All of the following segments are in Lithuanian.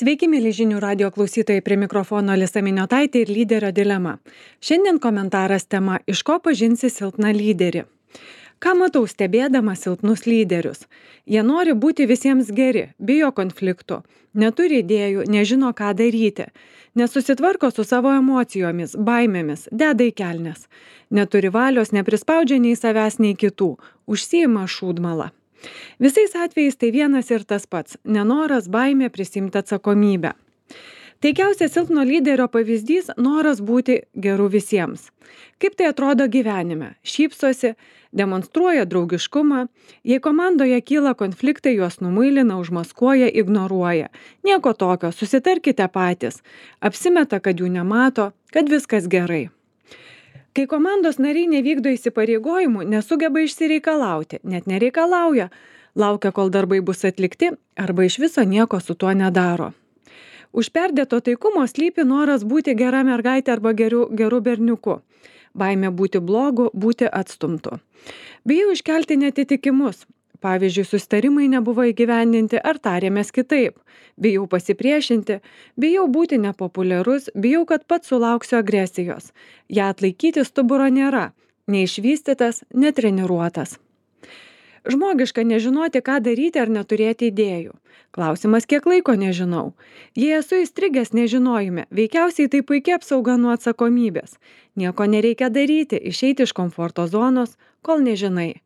Sveiki, mėly žinių radio klausytojai, prie mikrofono Alisa Miniotaitė ir lyderio dilema. Šiandien komentaras tema: iš ko pažinsi silpną lyderį? Ką matau stebėdama silpnus lyderius? Jie nori būti visiems geri, bijo konfliktų, neturi idėjų, nežino ką daryti, nesusitvarko su savo emocijomis, baimėmis, deda į kelnes, neturi valios, neprispaudžia nei savęs, nei kitų, užsiima šūdmalą. Visais atvejais tai vienas ir tas pats – nenoras, baimė prisimti atsakomybę. Taikiausias silpno lyderio pavyzdys – noras būti geru visiems. Kaip tai atrodo gyvenime? Šypsosi, demonstruoja draugiškumą, jei komandoje kyla konfliktai, juos numuilina, užmaskuoja, ignoruoja. Nieko tokio, susitarkite patys, apsimeta, kad jų nemato, kad viskas gerai. Kai komandos nariai nevykdo įsipareigojimų, nesugeba išsireikalauti, net nereikalauja, laukia, kol darbai bus atlikti, arba iš viso nieko su tuo nedaro. Už perdėto taikumo slypi noras būti gera mergaitė arba geru berniuku. Baimė būti blogu, būti atstumtu. Bijau iškelti neatitikimus. Pavyzdžiui, susitarimai nebuvo įgyvendinti ar tarėmės kitaip. Bijau pasipriešinti, bijau būti nepopuliarus, bijau, kad pats sulauksiu agresijos. Ja atlaikyti stuburo nėra, neišvystytas, netreniruotas. Žmogiška nežinoti, ką daryti ar neturėti idėjų. Klausimas, kiek laiko nežinau. Jei esu įstrigęs nežinojime, veikiausiai tai puikia apsauga nuo atsakomybės. Nieko nereikia daryti, išeiti iš komforto zonos, kol nežinai.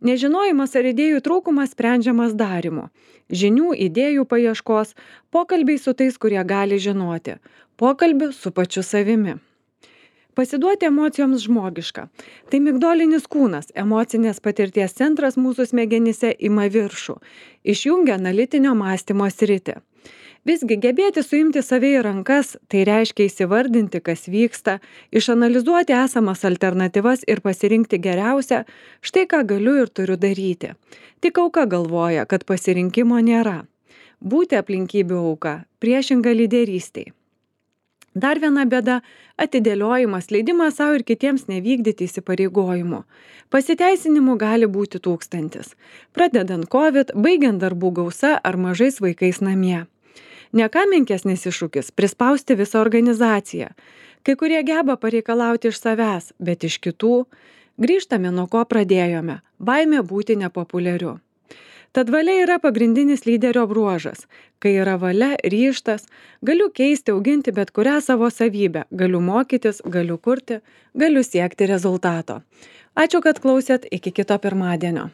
Nežinojimas ar idėjų trūkumas sprendžiamas darymu. Žinių, idėjų paieškos, pokalbiai su tais, kurie gali žinoti. Pokalbių su pačiu savimi. Pasiduoti emocijoms žmogiška. Tai migdolinis kūnas, emocinės patirties centras mūsų smegenyse ima viršų. Išjungia analitinio mąstymo sritį. Visgi gebėti suimti save į rankas, tai reiškia įsivardinti, kas vyksta, išanalizuoti esamas alternatyvas ir pasirinkti geriausią, štai ką galiu ir turiu daryti. Tik auka galvoja, kad pasirinkimo nėra. Būti aplinkybių auka, priešinga lyderystei. Dar viena bėda – atidėliojimas, leidimas savo ir kitiems nevykdyti įsipareigojimų. Pasiteisinimų gali būti tūkstantis. Pradedant COVID, baigiant darbų gausa ar mažais vaikais namie. Ne ką menkesnis iššūkis – prispausti visą organizaciją. Kai kurie geba pareikalauti iš savęs, bet iš kitų grįžtame nuo ko pradėjome – baimė būti nepopuliariu. Tad valia yra pagrindinis lyderio bruožas. Kai yra valia, ryžtas, galiu keisti, auginti bet kurią savo savybę, galiu mokytis, galiu kurti, galiu siekti rezultato. Ačiū, kad klausėt, iki kito pirmadienio.